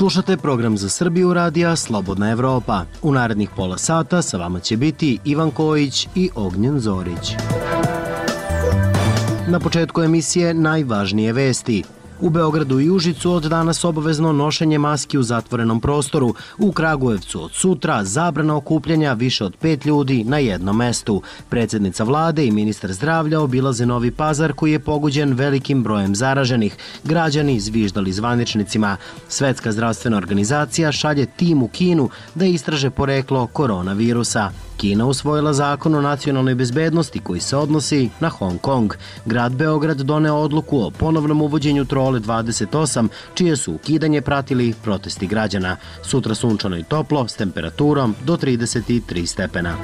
Slušate program za Srbiju radija Slobodna Evropa. U narednih pola sata sa vama će biti Ivan Kojić i Ognjen Zorić. Na početku emisije najvažnije vesti. U Beogradu i Užicu od danas obavezno nošenje maski u zatvorenom prostoru. U Kragujevcu od sutra zabrana okupljanja više od 5 ljudi na jednom mestu. Predsjednica vlade i ministar zdravlja obilaze Novi Pazar koji je pogođen velikim brojem zaraženih. Građani zviždali zvaničnicima. Svetska zdravstvena organizacija šalje tim u Kinu da istraže poreklo koronavirusa. Kina usvojila zakon o nacionalnoj bezbednosti koji se odnosi na Hong Kong. Grad Beograd doneo odluku o ponovnom uvođenju trole 28, čije su ukidanje pratili protesti građana. Sutra sunčano i toplo s temperaturom do 33 stepena.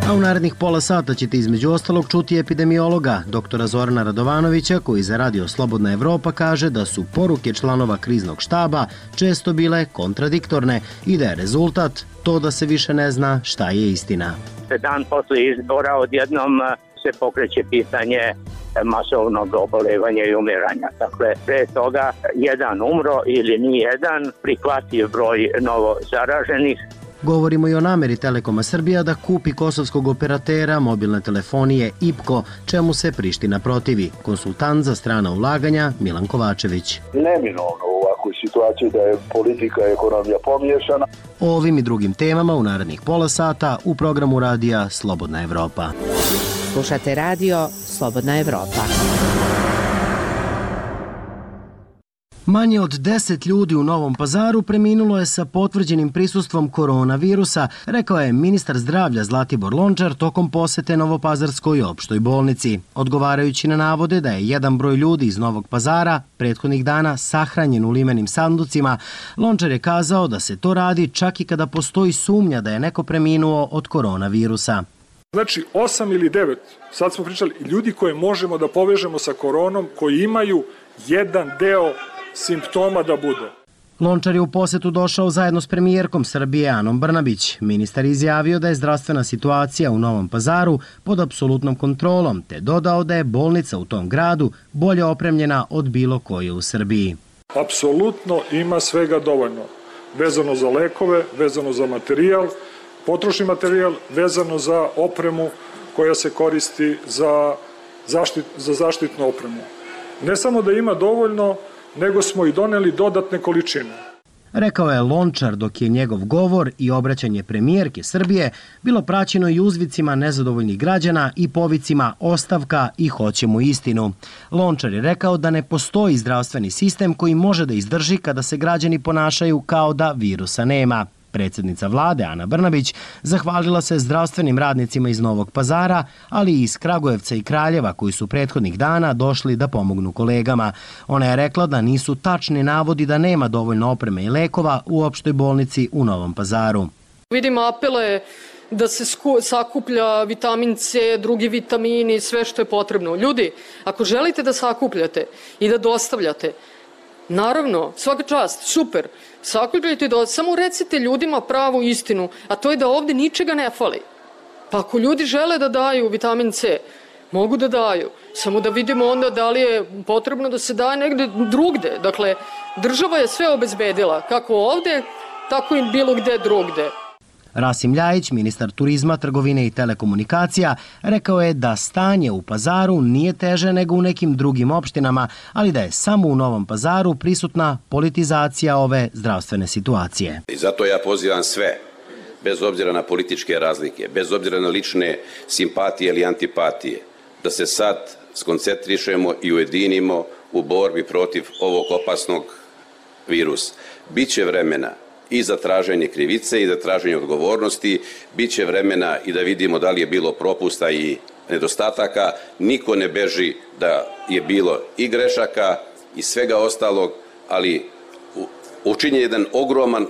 A u narednih pola sata ćete između ostalog čuti epidemiologa, doktora Zorana Radovanovića, koji za Radio Slobodna Evropa kaže da su poruke članova kriznog štaba često bile kontradiktorne i da je rezultat to da se više ne zna šta je istina. Dan posle izbora odjednom se pokreće pitanje masovnog obolevanja i umiranja. Dakle, pre toga jedan umro ili ni jedan, prihvatljiv broj novo zaraženih. Govorimo i o nameri Telekoma Srbija da kupi kosovskog operatera mobilne telefonije IPKO, čemu se Priština protivi. Konsultant za strana ulaganja Milan Kovačević. Neminovno u ovakvoj situaciji da je politika i ekonomija pomiješana. O ovim i drugim temama u narednih pola sata u programu radija Slobodna Evropa. Slušate radio Slobodna Evropa. Manje od 10 ljudi u Novom Pazaru preminulo je sa potvrđenim prisustvom koronavirusa, rekao je ministar zdravlja Zlatibor Lončar tokom posete Novopazarskoj opštoj bolnici. Odgovarajući na navode da je jedan broj ljudi iz Novog Pazara prethodnih dana sahranjen u limenim sanducima, Lončar je kazao da se to radi čak i kada postoji sumnja da je neko preminuo od koronavirusa. Znači 8 ili 9, sad smo pričali, ljudi koje možemo da povežemo sa koronom, koji imaju jedan deo simptoma da bude. Lončar je u posetu došao zajedno s premijerkom Srbije Anom Brnabić. Ministar izjavio da je zdravstvena situacija u Novom Pazaru pod apsolutnom kontrolom, te dodao da je bolnica u tom gradu bolje opremljena od bilo koje u Srbiji. Apsolutno ima svega dovoljno. Vezano za lekove, vezano za materijal, potrošni materijal, vezano za opremu koja se koristi za zaštitnu opremu. Ne samo da ima dovoljno, nego smo i doneli dodatne količine. Rekao je Lončar dok je njegov govor i obraćanje premijerke Srbije bilo praćeno i uzvicima nezadovoljnih građana i povicima ostavka i hoćemo istinu. Lončar je rekao da ne postoji zdravstveni sistem koji može da izdrži kada se građani ponašaju kao da virusa nema. Predsjednica vlade Ana Brnabić zahvalila se zdravstvenim radnicima iz Novog Pazara, ali i iz Kragujevca i Kraljeva koji su prethodnih dana došli da pomognu kolegama. Ona je rekla da nisu tačni navodi da nema dovoljno opreme i lekova u opštoj bolnici u Novom Pazaru. Vidim apele da se sakuplja vitamin C, drugi vitamini, sve što je potrebno. Ljudi, ako želite da sakupljate i da dostavljate, naravno, svaka čast, super, sakupljajte da samo recite ljudima pravu istinu, a to je da ovde ničega ne fali. Pa ako ljudi žele da daju vitamin C, mogu da daju, samo da vidimo onda da li je potrebno da se daje negde drugde. Dakle, država je sve obezbedila, kako ovde, tako i bilo gde drugde. Rasim Ljajić, ministar turizma, trgovine i telekomunikacija, rekao je da stanje u Pazaru nije teže nego u nekim drugim opštinama, ali da je samo u Novom Pazaru prisutna politizacija ove zdravstvene situacije. I zato ja pozivam sve, bez obzira na političke razlike, bez obzira na lične simpatije ili antipatije, da se sad skoncentrišemo i ujedinimo u borbi protiv ovog opasnog virusa. Biće vremena i za traženje krivice i za traženje odgovornosti, bit će vremena i da vidimo da li je bilo propusta i nedostataka. Niko ne beži da je bilo i grešaka i svega ostalog, ali učinjen je jedan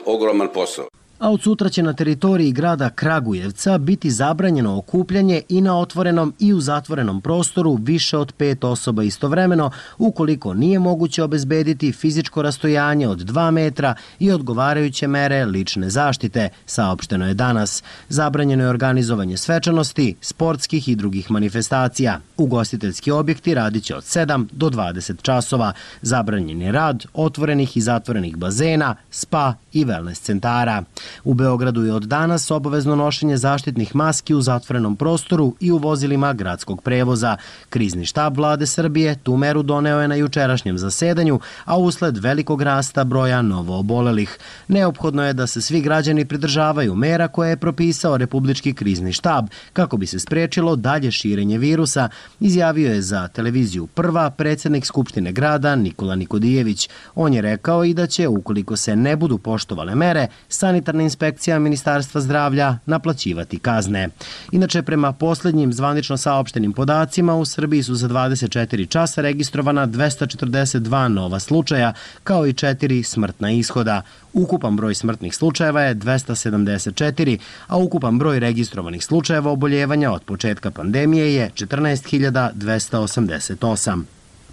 ogroman posao. A od sutra će na teritoriji grada Kragujevca biti zabranjeno okupljanje i na otvorenom i u zatvorenom prostoru više od 5 osoba istovremeno, ukoliko nije moguće obezbediti fizičko rastojanje od 2 metra i odgovarajuće mere lične zaštite, saopšteno je danas. Zabranjeno je organizovanje svečanosti, sportskih i drugih manifestacija. Ugostiteljski objekti radit će od 7 do 20 časova. Zabranjen je rad otvorenih i zatvorenih bazena, spa i wellness centara. U Beogradu je od danas obavezno nošenje zaštitnih maski u zatvorenom prostoru i u vozilima gradskog prevoza. Krizni štab Vlade Srbije tu meru doneo je na jučerašnjem zasedanju, a usled velikog rasta broja novoobolelih. Neophodno je da se svi građani pridržavaju mera koje je propisao Republički krizni štab kako bi se sprečilo dalje širenje virusa, izjavio je za televiziju Prva predsednik Skupštine grada Nikola Nikodijević. On je rekao i da će, ukoliko se ne budu poštovale mere, sanitarna inspekcija Ministarstva zdravlja naplaćivati kazne. Inače, prema poslednjim zvanično saopštenim podacima, u Srbiji su za 24 časa registrovana 242 nova slučaja, kao i 4 smrtna ishoda. Ukupan broj smrtnih slučajeva je 274, a ukupan broj registrovanih slučajeva oboljevanja od početka pandemije je 14.288.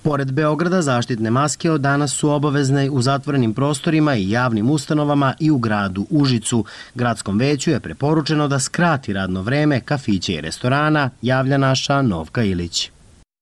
Pored Beograda, zaštitne maske od danas su obavezne u zatvorenim prostorima i javnim ustanovama i u gradu Užicu. Gradskom veću je preporučeno da skrati radno vreme kafića i restorana, javlja naša Novka Ilić.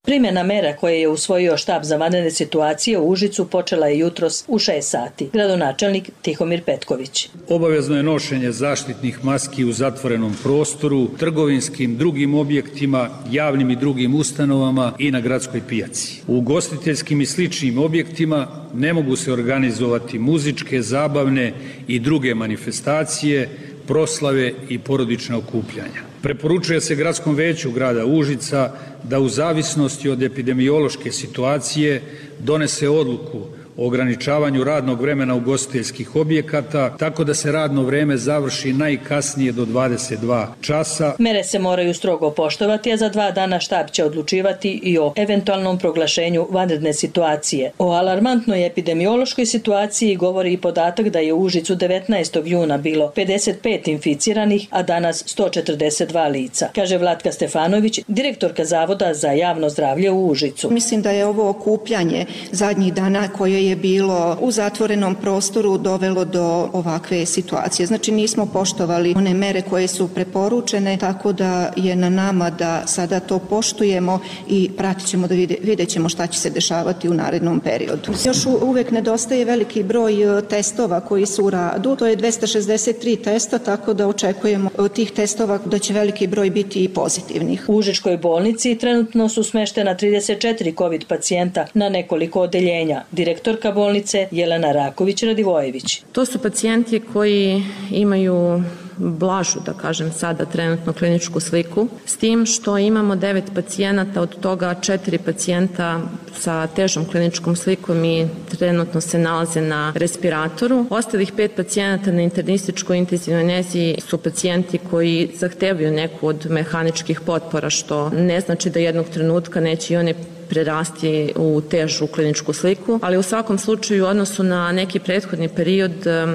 Primjena mera koje je usvojio štab za vanredne situacije u Užicu počela je jutros u 6 sati. Gradonačelnik Tihomir Petković. Obavezno je nošenje zaštitnih maski u zatvorenom prostoru, trgovinskim, drugim objektima, javnim i drugim ustanovama i na gradskoj pijaci. U ugostiteljskim i sličnim objektima ne mogu se organizovati muzičke, zabavne i druge manifestacije, proslave i porodična okupljanja. Preporučuje se Gradskom veću grada Užica da u zavisnosti od epidemiološke situacije donese odluku o ograničavanju radnog vremena ugostiteljskih objekata, tako da se radno vreme završi najkasnije do 22 časa. Mere se moraju strogo poštovati, a za 2 dana štab će odlučivati i o eventualnom proglašenju vanredne situacije. O alarmantnoj epidemiološkoj situaciji govori i podatak da je u Užicu 19. juna bilo 55 inficiranih, a danas 142 lica, kaže Vlatka Stefanović, direktorka Zavoda za javno zdravlje u Užicu. Mislim da je ovo okupljanje zadnjih dana koje je bilo u zatvorenom prostoru dovelo do ovakve situacije. Znači nismo poštovali one mere koje su preporučene, tako da je na nama da sada to poštujemo i pratit ćemo da vidjet ćemo šta će se dešavati u narednom periodu. Još uvek nedostaje veliki broj testova koji su u radu, to je 263 testa, tako da očekujemo od tih testova da će veliki broj biti i pozitivnih. U Užičkoj bolnici trenutno su smeštena 34 COVID pacijenta na nekoliko odeljenja. Direktorka bolnice Jelena Raković-Radivojević. To su pacijenti koji imaju blažu, da kažem sada, trenutno kliničku sliku, s tim što imamo 9 pacijenata, od toga 4 pacijenta sa težom kliničkom slikom i trenutno se nalaze na respiratoru. Ostalih 5 pacijenata na internističkoj intenzivnoj nezi su pacijenti koji zahtevaju neku od mehaničkih potpora, što ne znači da jednog trenutka neće i one prerasti u težu kliničku sliku, ali u svakom slučaju u odnosu na neki prethodni period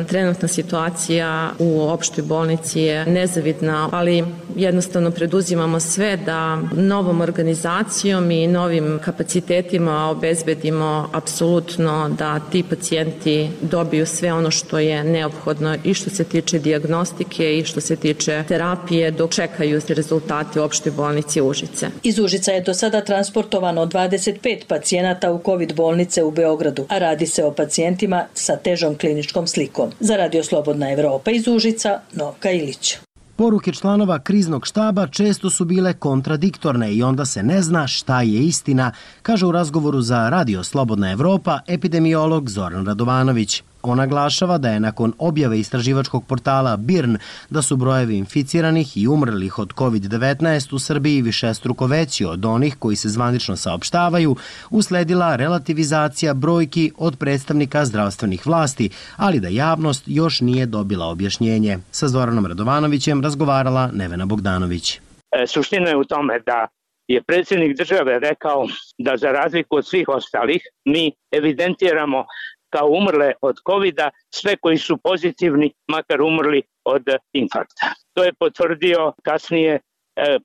trenutna situacija u opštoj bolnici je nezavidna, ali jednostavno preduzimamo sve da novom organizacijom i novim kapacitetima obezbedimo apsolutno da ti pacijenti dobiju sve ono što je neophodno i što se tiče dijagnostike i što se tiče terapije dok čekaju rezultate u opštoj bolnici Užice. Iz Užica je do sada transportovano 25 pacijenata u COVID bolnice u Beogradu, a radi se o pacijentima sa težom kliničkom slikom. Za Radio Slobodna Evropa iz Užica, Novka Ilić. Poruke članova kriznog štaba često su bile kontradiktorne i onda se ne zna šta je istina, kaže u razgovoru za Radio Slobodna Evropa epidemiolog Zoran Radovanović. On naglašava da je nakon objave istraživačkog portala BIRN da su brojevi inficiranih i umrlih od COVID-19 u Srbiji višestruko veći od onih koji se zvanično saopštavaju, usledila relativizacija brojki od predstavnika zdravstvenih vlasti, ali da javnost još nije dobila objašnjenje. Sa Zoranom Radovanovićem razgovarala Nevena Bogdanović. Suština je u tome da je predsjednik države rekao da za razliku od svih ostalih mi evidentiramo kao umrle od COVID-a sve koji su pozitivni, makar umrli od infarkta. To je potvrdio kasnije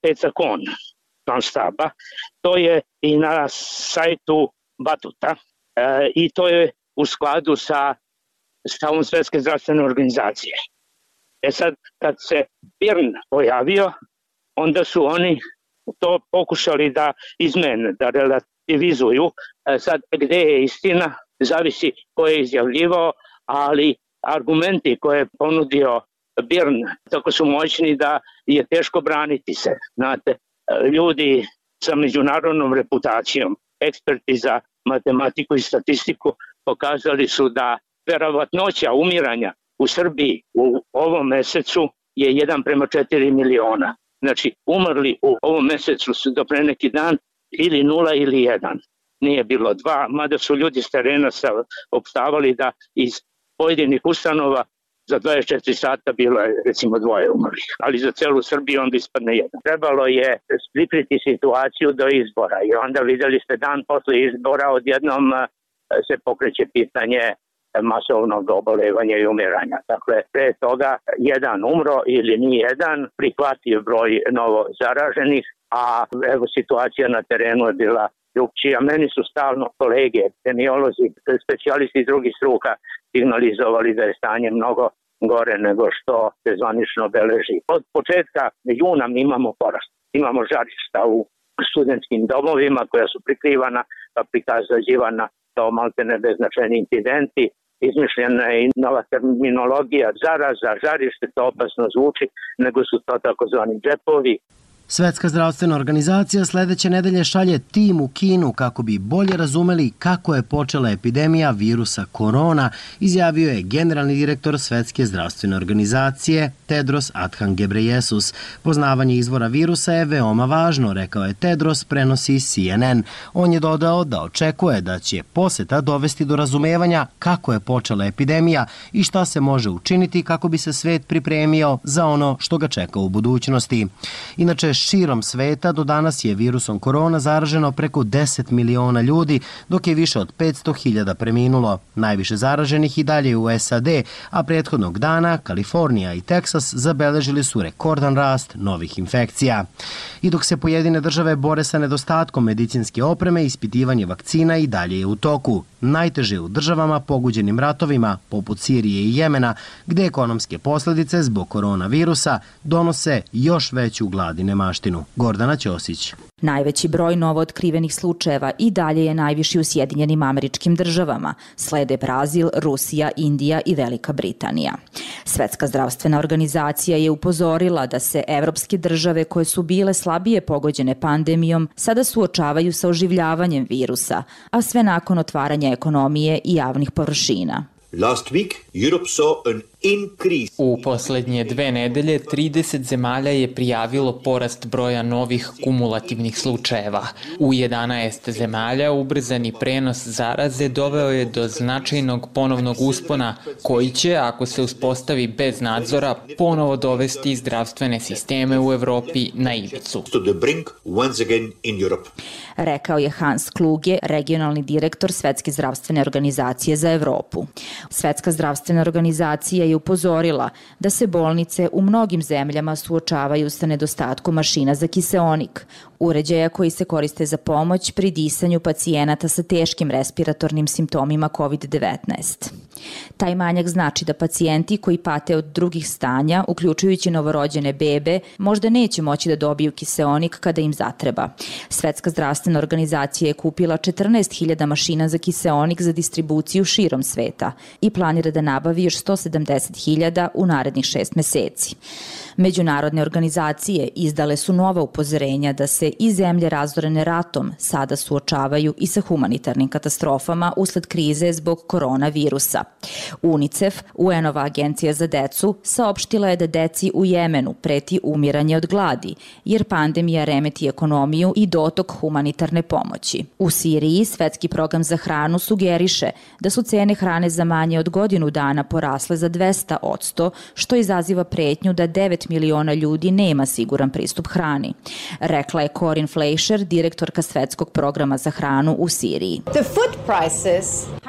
Peca Kon, član štaba. To je i na sajtu Batuta i to je u skladu sa stavom Svetske zdravstvene organizacije. Sad, kad se Birn pojavio, onda su oni to pokušali da izmene, da relativizuju. Sad, gde je istina, zavisi ko je izjavljivao, ali argumenti koje je ponudio Birn tako su moćni da je teško braniti se. Znate, ljudi sa međunarodnom reputacijom, eksperti za matematiku i statistiku pokazali su da verovatnoća umiranja u Srbiji u ovom mesecu je 1:4 miliona. Znači, umrli u ovom mesecu su do pre neki dan ili 0 ili 1. Nije bilo 2, mada su ljudi s terena opštavali da iz pojedinih ustanova za 24 sata bilo je recimo 2 umrlih, ali za celu Srbiju onda ispadne 1. Trebalo je pripriti situaciju do izbora i onda videli ste dan posle izbora odjednom se pokreće pitanje masovnog obolevanja i umiranja. Dakle, pre toga 1 umro ili ni 1, prihvatljiv broj novo zaraženih, a evo situacija na terenu je bila drugčija. Meni su stalno kolege, epidemiolozi, specijalisti iz drugih struka signalizovali da je stanje mnogo gore nego što se zvanično beleži. Od početka juna mi imamo porast. Imamo žarišta u studentskim domovima koja su prikrivana, pa prikazivanna kao maltene beznačajni incidenti. Izmišljena je i nova terminologija zaraza, žarište, to opasno zvuči, nego su to takozvani džepovi. Svetska zdravstvena organizacija sledeće nedelje šalje tim u Kinu kako bi bolje razumeli kako je počela epidemija virusa korona, izjavio je generalni direktor Svetske zdravstvene organizacije Tedros Adhanom Ghebreyesus. Poznavanje izvora virusa je veoma važno, rekao je Tedros, prenosi CNN. On je dodao da očekuje da će poseta dovesti do razumevanja kako je počela epidemija i šta se može učiniti kako bi se svet pripremio za ono što ga čeka u budućnosti. Inače, širom sveta do danas je virusom korona zaraženo preko 10 miliona ljudi, dok je više od 500.000 preminulo. Najviše zaraženih i dalje u SAD, a prethodnog dana Kalifornija i Teksas zabeležili su rekordan rast novih infekcija. I dok se pojedine države bore sa nedostatkom medicinske opreme, ispitivanje vakcina i dalje je u toku. Najteže u državama pogođenim ratovima, poput Sirije i Jemena, gde ekonomske posledice zbog koronavirusa donose još veću glad i nemaštinu. Gordana Ćosić. Najveći broj novootkrivenih slučajeva i dalje je najviši u Sjedinjenim Američkim Državama. Slede Brazil, Rusija, Indija i Velika Britanija. Svetska zdravstvena organizacija je upozorila da se evropske države koje su bile slabije pogođene pandemijom sada suočavaju sa oživljavanjem virusa, a sve nakon otvaranja ekonomije i javnih površina. Last week, Europe saw an increase. U poslednje 2 nedelje 30 zemalja je prijavilo porast broja novih kumulativnih slučajeva. U 11 zemalja ubrzani prenos zaraze doveo je do značajnog ponovnog uspona koji će, ako se uspostavi bez nadzora, ponovo dovesti zdravstvene sisteme u Evropi na ivicu. Rekao je Hans Kluge, regionalni direktor Svetske zdravstvene organizacije za Evropu. Svetska zdravstvena organizacija je upozorila da se bolnice u mnogim zemljama suočavaju sa nedostatkom mašina za kiseonik, uređaja koji se koriste za pomoć pri disanju pacijenata sa teškim respiratornim simptomima COVID-19. Taj manjak znači da pacijenti koji pate od drugih stanja, uključujući novorođene bebe, možda neće moći da dobiju kiseonik kada im zatreba. Svetska zdravstvena organizacija je kupila 14.000 mašina za kiseonik za distribuciju širom sveta i planira da nabavi još 170.000 u narednih 6 meseci. Međunarodne organizacije izdale su nova upozorenja da se i zemlje razorene ratom sada suočavaju i sa humanitarnim katastrofama usled krize zbog koronavirusa. UNICEF, UN-ova agencija za decu, saopštila je da deci u Jemenu preti umiranje od gladi, jer pandemija remeti ekonomiju i dotok humanitarne pomoći. U Siriji Svetski program za hranu sugeriše da su cene hrane za manje od godinu dana porasle za 200%, što izaziva pretnju da 9 miliona ljudi nema siguran pristup hrani. Rekla je Corinne Fleischer, direktorka Svetskog programa za hranu u Siriji.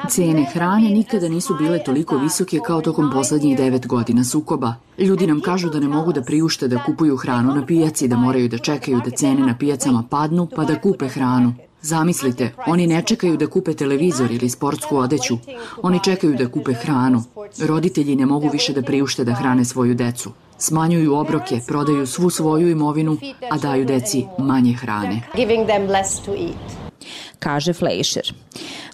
Cene hrane nikada nisu bile toliko visoke kao tokom poslednjih 9 godina sukoba. Ljudi nam kažu da ne mogu da priušte da kupuju hranu na pijaci, da moraju da čekaju da cene na pijacama padnu pa da kupe hranu. Zamislite, oni ne čekaju da kupe televizor ili sportsku odeću. Oni čekaju da kupe hranu. Roditelji ne mogu više da priušte da hrane svoju decu. Smanjuju obroke, prodaju svu svoju imovinu, a daju deci manje hrane. Kaže Fleischer.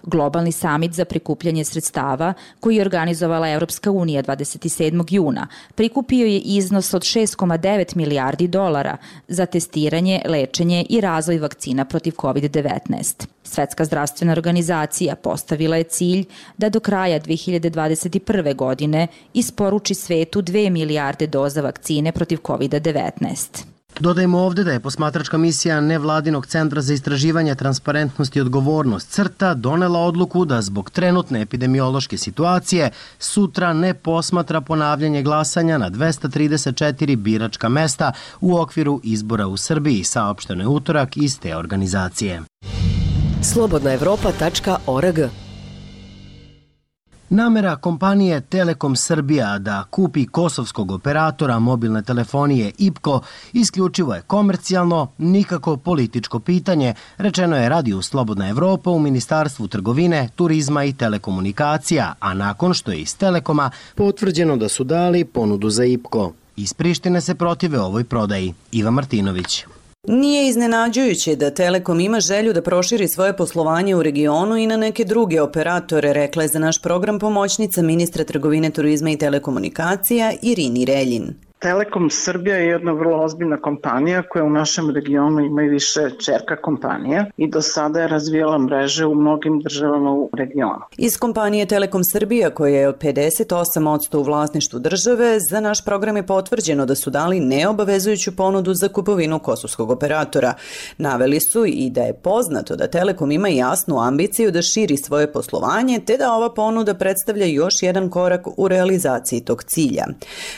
Globalni samit za prikupljanje sredstava koji je organizovala Evropska unija 27. juna prikupio je iznos od 6,9 milijardi dolara za testiranje, lečenje i razvoj vakcina protiv COVID-19. Svetska zdravstvena organizacija postavila je cilj da do kraja 2021. godine isporuči svetu 2 milijarde doza vakcine protiv COVID-19. Dodajmo ovde da je posmatračka misija Nevladinog centra za istraživanje, transparentnost i odgovornost CRTA donela odluku da zbog trenutne epidemiološke situacije sutra ne posmatra ponavljanje glasanja na 234 biračka mesta u okviru izbora u Srbiji, saopšteno je utorak iz te organizacije. Slobodnaevropa.org. Namera kompanije Telekom Srbija da kupi kosovskog operatora mobilne telefonije IPKO isključivo je komercijalno, nikako političko pitanje, rečeno je radiju Slobodna Evropa u Ministarstvu trgovine, turizma i telekomunikacija, a nakon što je iz Telekoma potvrđeno da su dali ponudu za IPKO. Iz Prištine se protive ovoj prodaji. Iva Martinović. Nije iznenađujuće da Telekom ima želju da proširi svoje poslovanje u regionu i na neke druge operatore, rekla je za naš program pomoćnica ministra trgovine, turizma i telekomunikacija Irini Reljin. Telekom Srbija je jedna vrlo ozbiljna kompanija koja u našem regionu ima i više ćerka kompanija i do sada je razvijala mreže u mnogim državama u regionu. Iz kompanije Telekom Srbija, koja je 58% u vlasništvu države, za naš program je potvrđeno da su dali neobavezujuću ponudu za kupovinu kosovskog operatora. Naveli su i da je poznato da Telekom ima jasnu ambiciju da širi svoje poslovanje, te da ova ponuda predstavlja još jedan korak u realizaciji tog cilja.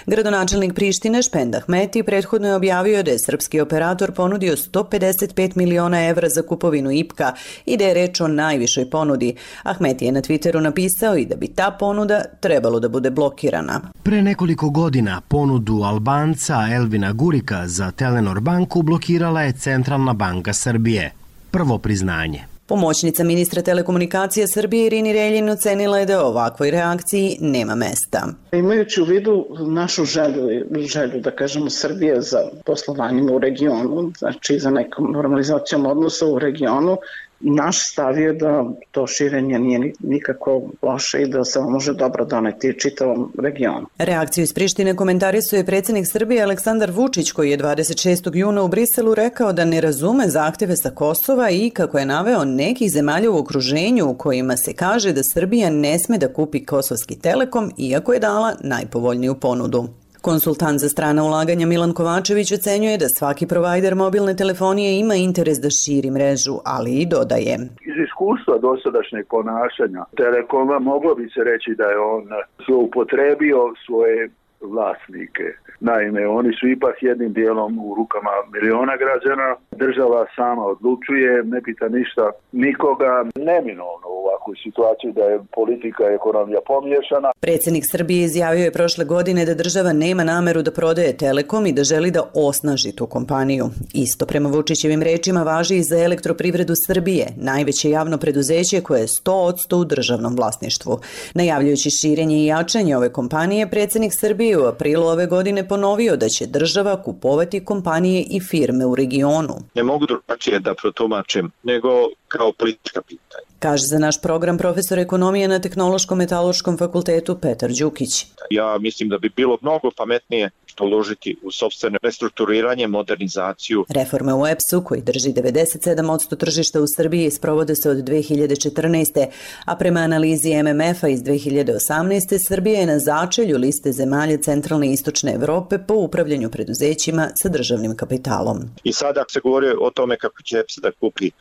Gradonačelnik Prištine Špend Ahmeti prethodno je objavio da je srpski operator ponudio 155 miliona evra za kupovinu IPKA i da je reč o najvišoj ponudi. Ahmeti je na Twitteru napisao i da bi ta ponuda trebalo da bude blokirana. Pre nekoliko godina ponudu Albanca Elvina Gurika za Telenor banku blokirala je Centralna banka Srbije. Prvo priznanje. Pomoćnica ministra telekomunikacija Srbije Irini Reljin ocenila je da ovakvoj reakciji nema mesta. Imajući u vidu našu želju da kažemo Srbije za poslovanjima u regionu, znači za nekom normalizacijom odnosa u regionu, naš stav je da to širenje nije nikako loše i da se može dobro doneti čitavom regionu. Reakciju iz Prištine komentarisuje predsjednik Srbije Aleksandar Vučić, koji je 26. juna u Briselu rekao da ne razume zahteve sa Kosova i, kako je naveo, nekih zemalja u okruženju u kojima se kaže da Srbija ne sme da kupi kosovski Telekom, iako je dala najpovoljniju ponudu. Konsultant za strana ulaganja Milan Kovačević ocenjuje da svaki provajder mobilne telefonije ima interes da širi mrežu, ali i dodaje. Iz iskustva dosadašnjeg ponašanja Telekoma moglo bi se reći da je on zloupotrebio svoje vlasnike. Naime, oni su ipak jednim dijelom u rukama miliona građana. Država sama odlučuje, ne pita ništa nikoga. Neminovno u ovakvoj situaciji da je politika i ekonomija pomiješana. Predsjednik Srbije izjavio je prošle godine da država nema nameru da prodaje Telekom i da želi da osnaži tu kompaniju. Isto prema Vučićevim rečima važi i za Elektroprivredu Srbije, najveće javno preduzeće koje je 100% u državnom vlasništvu. Najavljujući širenje i jačanje ove kompanije, predsjednik Srbije u aprilu ove godine ponovio da će država kupovati kompanije i firme u regionu. Ne mogu drugačije da protumačim nego kao politička pitanja. Kaže za naš program profesor ekonomije na Tehnološkom metaloškom fakultetu Petar Đukić. Ja mislim da bi bilo mnogo pametnije uložiti u sopstveno restrukturiranje, modernizaciju. Reforme u EPS-u, koji drži 97% tržišta u Srbiji, sprovode se od 2014. A prema analizi MMF-a iz 2018. Srbija je na začelju liste zemalja centralne i istočne Evrope po upravljanju preduzećima sa državnim kapitalom. I sada se govori o tome kako će EPS da kupi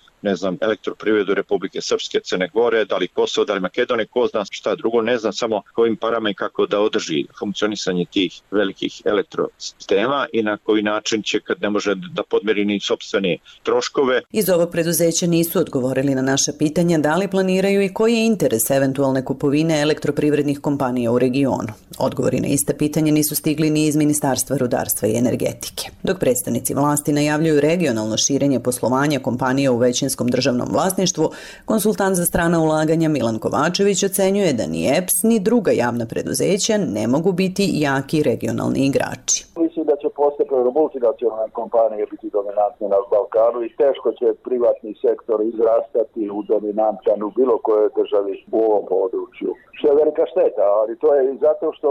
elektroprivredu Republike Srpske, Crne Gore, da li Kosovo, da li Makedonije, ko zna šta drugo, ne znam samo kojim parama i kako da održi funkcionisanje tih velikih elektrosistema i na koji način će, kad ne može da podmiri ni sopstvene troškove. Iz ovog preduzeća nisu odgovorili na naša pitanja da li planiraju i koji je interes eventualne kupovine elektroprivrednih kompanija u regionu. Odgovori na ista pitanja nisu stigli ni iz Ministarstva rudarstva i energetike. Dok predstavnici vlasti najavljuju regionalno širenje poslovanja kompanija u većinskom državnom vlasništvu, konsultant za strana ulaganja Milan Kovačević ocenjuje da ni EPS ni druga javna preduzeća ne mogu biti jaki regionalni igrači. Mislim da će postepeno multinacionalne kompanije biti dominantne na Balkanu i teško će privatni sektor izrastati u dominantan u bilo kojoj državi u ovom području. Što je velika šteta, ali to je i zato što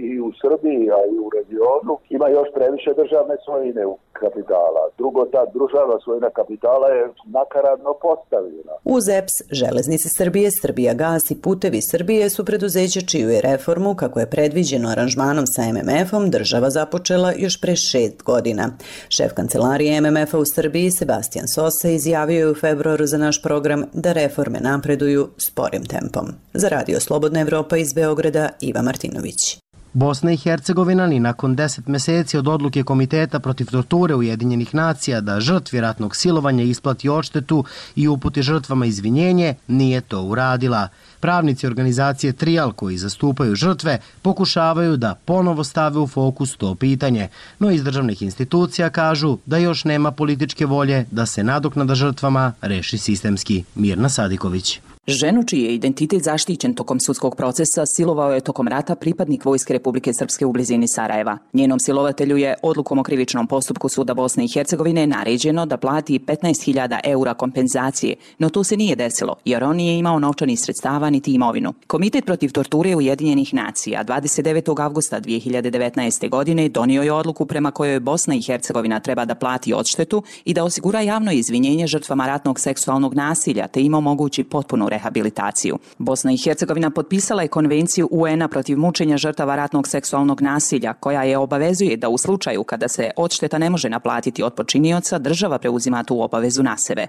i u Srbiji, a i u regionu ima još previše državne svojine u kapitala. Drugo, ta državna svojina kapitala je nakaradno postavljena. Uz EPS, Železnice Srbije, Srbijagas i Putevi Srbije su preduzeća čiju je reformu, kako je predviđeno aranžmanom sa MMF-om, država započela još pre 6 godina. Šef kancelarije MMF-a u Srbiji, Sebastian Sosa, izjavio je u februaru za naš program da reforme napreduju sporim tempom. Za Radio Slobodna Evropa iz Beograda, Iva Martinović. Bosna i Hercegovina ni nakon 10 meseci od odluke Komiteta protiv torture Ujedinjenih nacija da žrtvi ratnog silovanja isplati odštetu i uputi žrtvama izvinjenje, nije to uradila. Pravnici organizacije Trijal koji zastupaju žrtve pokušavaju da ponovo stave u fokus to pitanje, no iz državnih institucija kažu da još nema političke volje da se nadoknada žrtvama reši sistemski. Mirna Sadiković. Ženu čiji je identitet zaštićen tokom sudskog procesa silovao je tokom rata pripadnik Vojske Republike Srpske u blizini Sarajeva. Njenom silovatelju je odlukom o krivičnom postupku Suda Bosne i Hercegovine naređeno da plati 15.000 eura kompenzacije, no to se nije desilo jer on nije imao novčanih sredstava niti imovinu. Komitet protiv torture Ujedinjenih nacija 29. avgusta 2019. godine donio je odluku prema kojoj Bosna i Hercegovina treba da plati odštetu i da osigura javno izvinjenje žrtvama ratnog seksualnog nasilja te im omogući potpunu rehabilitaciju. Bosna i Hercegovina potpisala je konvenciju UN-a protiv mučenja žrtava ratnog seksualnog nasilja, koja je obavezuje da u slučaju kada se odšteta ne može naplatiti od počinioca, država preuzima tu obavezu na sebe.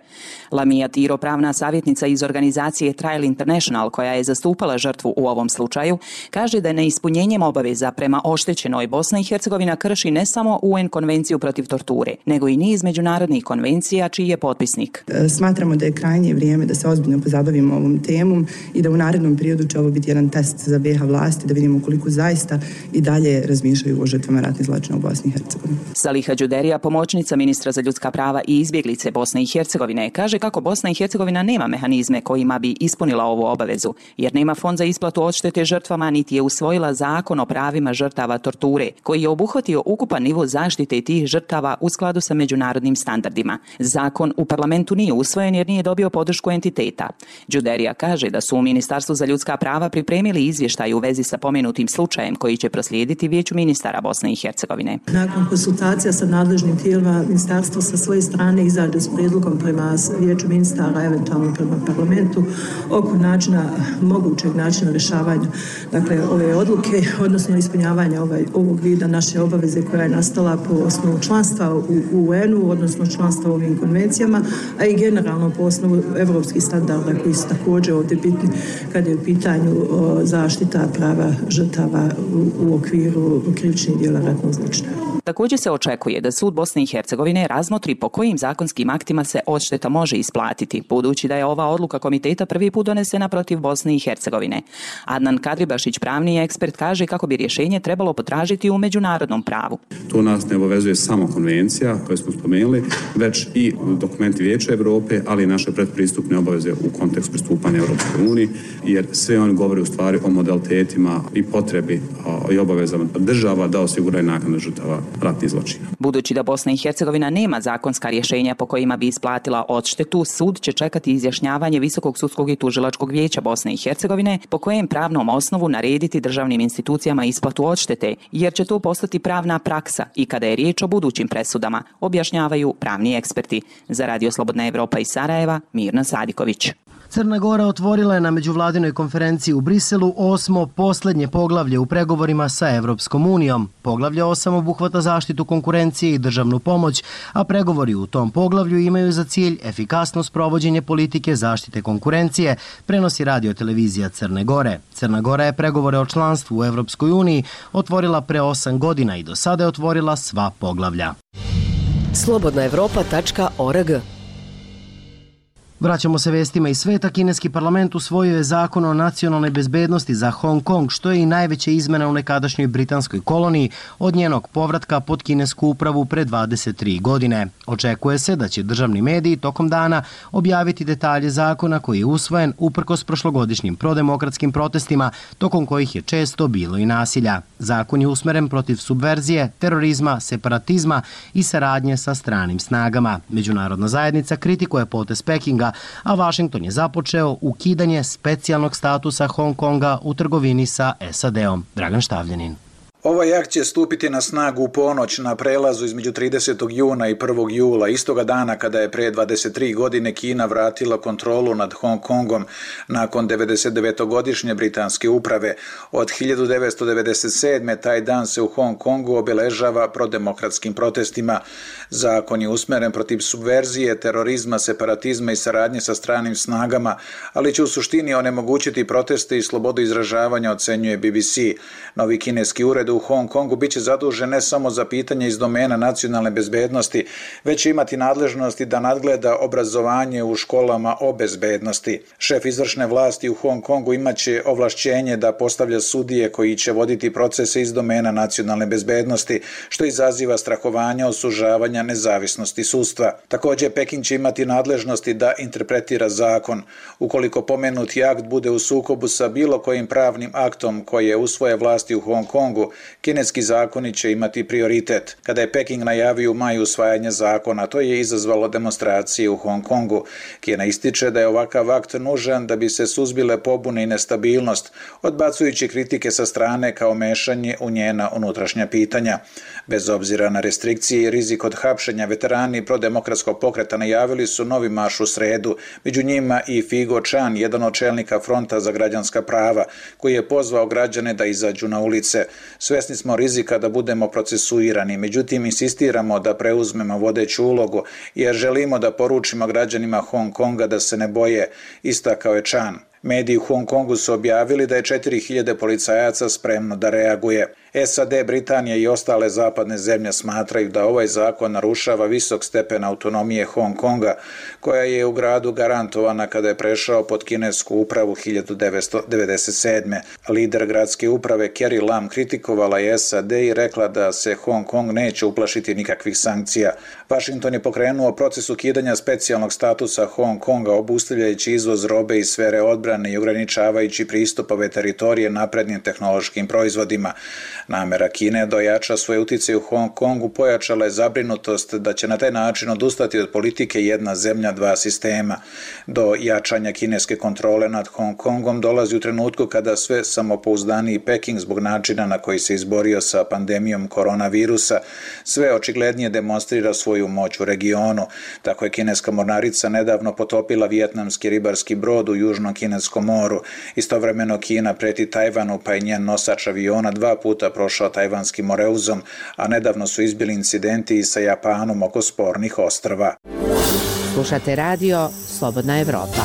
Lamija Tiro, pravna savjetnica iz organizacije Trial International, koja je zastupala žrtvu u ovom slučaju, kaže da je neispunjenjem obaveza prema oštećenoj Bosna i Hercegovina krši ne samo UN konvenciju protiv torture, nego i niz međunarodnih konvencija čiji je potpisnik. Smatramo da je krajnje vrijeme da se ozbiljno pozabavimo ovom temom i da u narednom periodu će ovo biti jedan test za BiH vlasti da vidimo koliko zaista i dalje razmišljaju o žrtvama ratnih zločina u Bosni i Hercegovini. Saliha Đuderija, pomoćnica ministra za ljudska prava i izbjeglice Bosne i Hercegovine, kaže kako Bosna i Hercegovina nema mehanizme kojima bi ispunila ovu obavezu, jer nema fond za isplatu odštete žrtvama niti je usvojila zakon o pravima žrtava torture, koji je obuhvatio ukupan nivo zaštite tih žrtava u skladu sa međunarodnim standardima. Zakon u parlamentu nije usvojen jer nije dobio podršku entiteta. Đuderija kaže da su u Ministarstvu za ljudska prava pripremili izvještaj u vezi sa pomenutim slučajem koji će proslijediti Vijeću ministara Bosne i Hercegovine. Nakon konsultacija sa nadležnim tijelima, ministarstvo sa svoje strane izađe s prijedlogom prema Vijeću ministara, eventualno prema parlamentu, oko mogućeg načina rješavanja ove odluke, odnosno ispunjavanja ovog vida naše obaveze koja je nastala po osnovu članstva u UN-u, odnosno članstva u ovim konvencijama, a i generalno po osnovu evropskih standarda koji su također ovdje bitni kada je u pitanju zaštita prava žrtava u okviru krivičnih djela ratnog zločina. Također se očekuje da sud Bosne i Hercegovine razmotri po kojim zakonskim aktima se odšteta može isplatiti, budući da je ova odluka komiteta prvi put donesena protiv Bosne i Hercegovine. Adnan Kadribašić, pravni ekspert, kaže kako bi rješenje trebalo potražiti u međunarodnom pravu. To nas ne obavezuje samo konvencija koju smo spomenuli, već i dokumenti Vijeća Evrope, ali i naše predpristupne obaveze u kontekstu pristupanja Europskoj uniji, jer sve oni govore u stvari o modalitetima i potrebi i obavezama država da osiguraju naknadu žrtava ratnih zločina. Budući da Bosna i Hercegovina nema zakonska rješenja po kojima bi isplatila odštetu, sud će čekati izjašnjavanje Visokog sudskog i tužilačkog vijeća Bosne i Hercegovine po kojem pravnom osnovu narediti državnim institucijama isplatu odštete, jer će to postati pravna praksa i kada je riječ o budućim presudama, objašnjavaju pravni eksperti. Za Radio Slobodna Evropa iz Sarajeva, Mirna Sadiković. Crna Crna Gora otvorila je na međuvladinoj konferenciji u Briselu 8. poslednje poglavlje u pregovorima sa Evropskom unijom. Poglavlje 8 obuhvata zaštitu konkurencije i državnu pomoć, a pregovori u tom poglavlju imaju za cilj efikasno sprovođenje politike zaštite konkurencije, prenosi radio-televizija Crne Gore. Crna Gora je pregovore o članstvu u Evropskoj uniji otvorila pre 8 godina i do sada je otvorila sva poglavlja. Slobodnaevropa.org. Vraćamo se vestima iz sveta. Kineski parlament usvojio je zakon o nacionalnoj bezbednosti za Hong Kong, što je i najveća izmena u nekadašnjoj britanskoj koloniji od njenog povratka pod kinesku upravu pre 23 godine. Očekuje se da će državni mediji tokom dana objaviti detalje zakona koji je usvojen uprkos prošlogodišnjim prodemokratskim protestima, tokom kojih je često bilo i nasilja. Zakon je usmeren protiv subverzije, terorizma, separatizma i saradnje sa stranim snagama. Međunarodna zajednica kritikuje potez Pekinga, a Vašington je započeo ukidanje specijalnog statusa Hong Konga u trgovini sa SAD-om. Dragan Štavljanin. Ovaj akt će stupiti na snagu u ponoć na prelazu između 30. juna i 1. jula, istoga dana kada je pre 23 godine Kina vratila kontrolu nad Hong Kongom nakon 99-godišnje britanske uprave. Od 1997. taj dan se u Hong Kongu obeležava prodemokratskim protestima. Zakon je usmeren protiv subverzije, terorizma, separatizma i saradnje sa stranim snagama, ali će u suštini onemogućiti proteste i slobodu izražavanja, ocenjuje BBC. Novi kineski ured u Hong Kongu biće zadužen ne samo za pitanje iz domena nacionalne bezbednosti, već će imati nadležnosti da nadgleda obrazovanje u školama o bezbednosti. Šef izvršne vlasti u Hong Kongu imaće ovlašćenje da postavlja sudije koji će voditi procese iz domena nacionalne bezbednosti, što izaziva strahovanja od sužavanja nezavisnosti sudstva. Također, Peking će imati nadležnosti da interpretira zakon. Ukoliko pomenuti akt bude u sukobu sa bilo kojim pravnim aktom koje usvoje vlasti u Hong Kongu, kineski zakoni će imati prioritet. Kada je Peking najavio u maju usvajanje zakona, to je izazvalo demonstracije u Hong Kongu. Kina ističe da je ovakav akt nužan da bi se suzbile pobune i nestabilnost, odbacujući kritike sa strane kao mešanje u njena unutrašnja pitanja. Bez obzira na restrikcije i rizik od hapšenja, veterani prodemokratskog pokreta najavili su novi marš u sredu, među njima i Figo Chan, jedan od čelnika Fronta za građanska prava, koji je pozvao građane da izađu na ulice. Svesni smo rizika da budemo procesuirani, međutim insistiramo da preuzmemo vodeću ulogu jer želimo da poručimo građanima Hong Konga da se ne boje, istakao je Chan. Mediji u Hong Kongu su objavili da je 4000 policajaca spremno da reaguje. SAD, Britanija i ostale zapadne zemlje smatraju da ovaj zakon narušava visok stepen autonomije Hong Konga, koja je u gradu garantovana kada je prešao pod kinesku upravu 1997. Lider gradske uprave Carrie Lam kritikovala je SAD i rekla da se Hong Kong neće uplašiti nikakvih sankcija. Washington je pokrenuo proces ukidanja specijalnog statusa Hong Konga, obustavljajući izvoz robe iz sfere odbrane i ograničavajući pristup ove teritorije naprednim tehnološkim proizvodima. Namera Kine da ojača svoje uticaje u Hong Kongu pojačala je zabrinutost da će na taj način odustati od politike jedna zemlja, dva sistema. Do jačanja kineske kontrole nad Hong Kongom dolazi u trenutku kada sve samopouzdaniji Peking zbog načina na koji se izborio sa pandemijom koronavirusa sve očiglednije demonstrira svoju moć u regionu. Tako je kineska mornarica nedavno potopila vijetnamski ribarski brod u Južnom Kineskom moru. Istovremeno Kina preti Tajvanu, pa je njen nosač aviona 2 puta prošao tajvanskim moreuzom, a nedavno su izbili incidenti i sa Japanom oko spornih ostrva. Slušate radio Slobodna Evropa.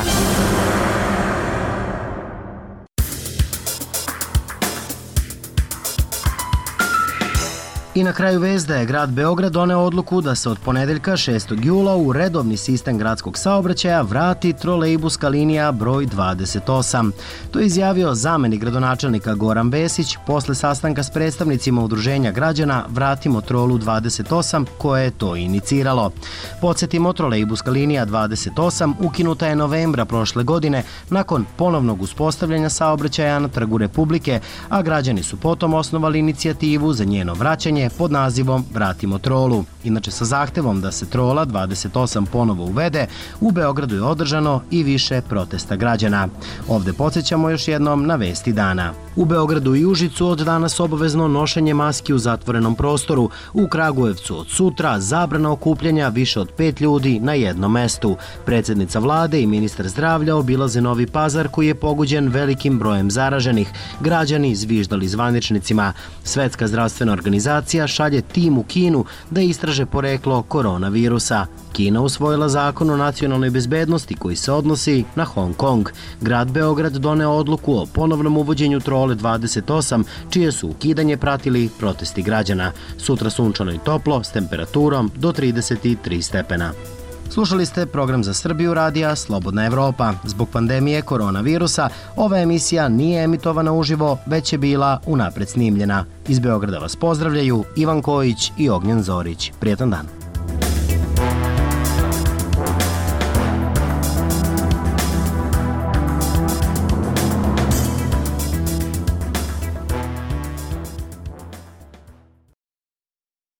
I na kraju vest da je grad Beograd doneo odluku da se od ponedeljka 6. jula u redovni sistem gradskog saobraćaja vrati trolejbuska linija broj 28. To je izjavio zamenik gradonačelnika Goran Vesić posle sastanka s predstavnicima udruženja građana Vratimo trolu 28 koje je to iniciralo. Podsjetimo, trolejbuska linija 28 ukinuta je novembra prošle godine nakon ponovnog uspostavljanja saobraćaja na Trgu Republike, a građani su potom osnovali inicijativu za njeno vraćanje kampanje pod nazivom Vratimo trolu. Inače, sa zahtevom da se trola 28 ponovo uvede, u Beogradu je održano i više protesta građana. Ovde podsjećamo još jednom na vesti dana. U Beogradu i Užicu od danas obavezno nošenje maski u zatvorenom prostoru. U Kragujevcu od sutra zabrana okupljanja više od 5 ljudi na jednom mestu. Predsednica vlade i ministar zdravlja obilaze Novi Pazar koji je pogođen velikim brojem zaraženih. Građani zviždali zvaničnicima. Svetska zdravstvena organizacija šalje tim u Kinu da istraže poreklo koronavirusa. Kina usvojila zakon o nacionalnoj bezbednosti koji se odnosi na Hong Kong. Grad Beograd doneo odluku o ponovnom uvođenju trole 28, čije su ukidanje pratili protesti građana. Sutra sunčano i toplo s temperaturom do 33 stepena. Slušali ste program za Srbiju radija Slobodna Evropa. Zbog pandemije koronavirusa ova emisija nije emitovana uživo, već je bila unapred snimljena. Iz Beograda vas pozdravljaju Ivan Kojić i Ognjen Zorić. Prijetan dan.